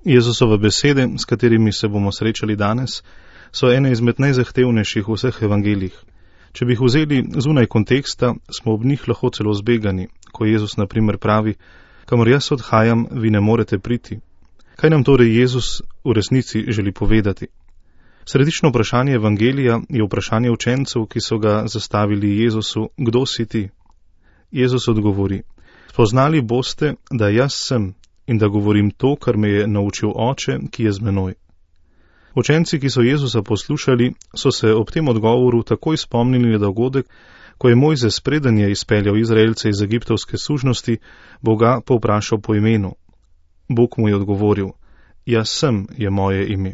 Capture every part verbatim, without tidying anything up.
Jezusove besede, s katerimi se bomo srečali danes, so ene izmed najzahtevnejših v vseh evangeljih. Če bi jih vzeli zunaj konteksta, smo ob njih lahko celo zbegani, ko Jezus na primer pravi: kamor jaz odhajam, vi ne morete priti. Kaj nam torej Jezus v resnici želi povedati? Središčno vprašanje evangelija je vprašanje učencev, ki so ga zastavili Jezusu: kdo si ti? Jezus odgovori: spoznali boste, da jaz sem in da govorim to, kar me je naučil Oče, ki je z menoj. Učenci, ki so Jezusa poslušali, so se ob tem odgovoru takoj spomnili na dogodek, ko je Mojzes, preden je izpeljal Izraelce iz egiptovske sužnosti, Boga povprašal po imenu. Bog mu je odgovoril: jaz sem je moje ime.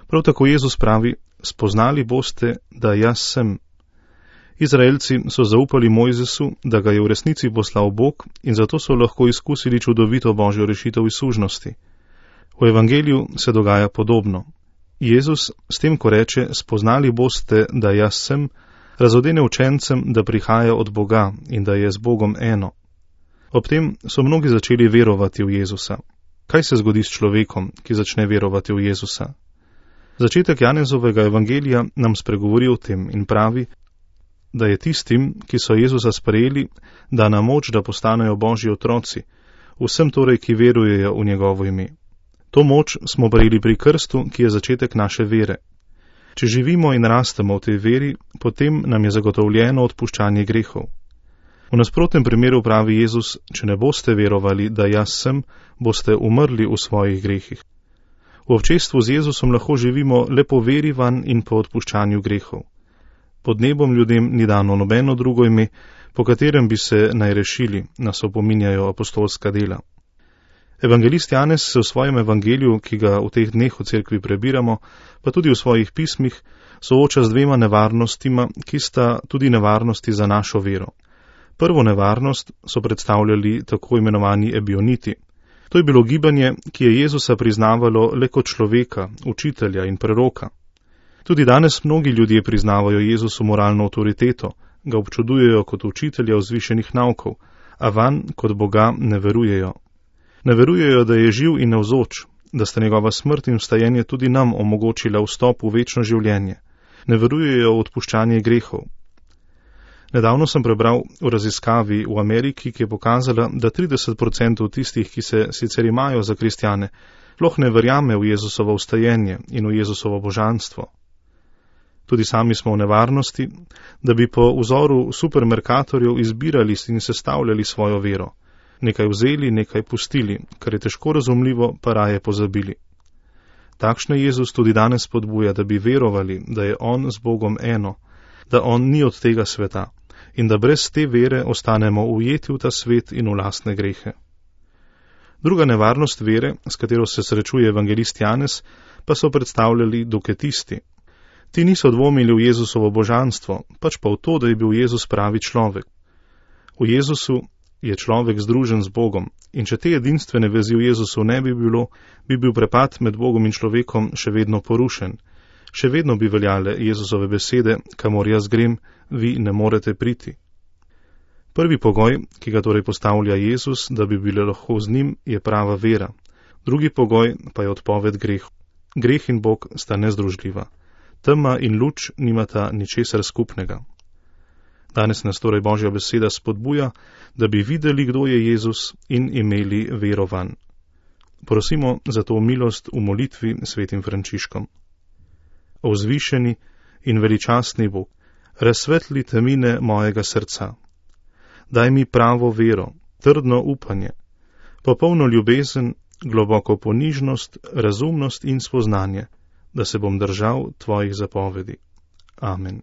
Prav tako Jezus pravi: spoznali boste, da jaz sem. Izraelci so zaupali Mojzesu, da ga je v resnici poslal Bog, in zato so lahko izkusili čudovito Božjo rešitev iz sužnosti. V evangeliju se dogaja podobno. Jezus s tem, ko reče: spoznali boste, da jaz sem, razodene učencem, da prihaja od Boga in da je z Bogom eno. Ob tem so mnogi začeli verovati v Jezusa. Kaj se zgodi s človekom, ki začne verovati v Jezusa? Začetek Janezovega evangelija nam spregovori o tem in pravi, da je tistim, ki so Jezusa sprejeli, dana moč, da postanejo Božji otroci, vsem torej, ki verujejo v njegovo ime. To moč smo prejeli pri krstu, ki je začetek naše vere. Če živimo in rastemo v tej veri, potem nam je zagotovljeno odpuščanje grehov. V nasprotnem primeru pravi Jezus: če ne boste verovali, da jaz sem, boste umrli v svojih grehih. V občestvu z Jezusom lahko živimo le po veri vanj in po odpuščanju grehov. Pod nebom ljudem ni dano nobeno drugo ime, po katerem bi se naj rešili, nas opominjajo apostolska dela. Evangelist Janez se v svojem evangeliju, ki ga v teh dneh v cerkvi prebiramo, pa tudi v svojih pismih, sooča z dvema nevarnostima, ki sta tudi nevarnosti za našo vero. Prvo nevarnost so predstavljali tako imenovani ebioniti. To je bilo gibanje, ki je Jezusa priznavalo le kot človeka, učitelja in preroka. Tudi danes mnogi ljudje priznavajo Jezusu moralno avtoriteto, ga občudujejo kot učitelja vzvišenih naukov, a vanj kot Boga ne verujejo. Ne verujejo, da je živ in navzoč, da sta njegova smrt in vstajenje tudi nam omogočila vstop v večno življenje. Ne verujejo v odpuščanje grehov. Nedavno sem prebral v raziskavi v Ameriki, ki je pokazala, da trideset odstotkov tistih, ki se sicer imajo za kristjane, sploh ne verjame v Jezusovo vstajenje in v Jezusovo božanstvo. Tudi sami smo v nevarnosti, da bi po vzoru supermerkatorjev izbirali in sestavljali svojo vero. Nekaj vzeli, nekaj pustili, kar je težko razumljivo, pa raje pozabili. Takšne Jezus tudi danes spodbuja, da bi verovali, da je On z Bogom eno, da On ni od tega sveta in da brez te vere ostanemo ujeti v ta svet in v lastne grehe. Druga nevarnost vere, s katero se srečuje evangelist Janez, pa so predstavljali doketisti. Ti niso dvomili v Jezusovo božanstvo, pač pa v to, da je bil Jezus pravi človek. V Jezusu je človek združen z Bogom, in če te edinstvene vezi v Jezusu ne bi bilo, bi bil prepad med Bogom in človekom še vedno porušen. Še vedno bi veljale Jezusove besede: kamor jaz grem, vi ne morete priti. Prvi pogoj, ki ga torej postavlja Jezus, da bi bili lahko z njim, je prava vera. Drugi pogoj pa je odpoved grehu. Greh in Bog sta nezdružljiva. Tema in luč nimata ničesar skupnega. Danes nas torej Božja beseda spodbuja, da bi videli, kdo je Jezus, in imeli vero vanj. Prosimo za to milost v molitvi svetim Frančiškom. O vzvišeni in veličastni Bog, razsvetli temine mojega srca. Daj mi pravo vero, trdno upanje, popolno ljubezen, globoko ponižnost, razumnost in spoznanje, da se bom držal tvojih zapovedi. Amen.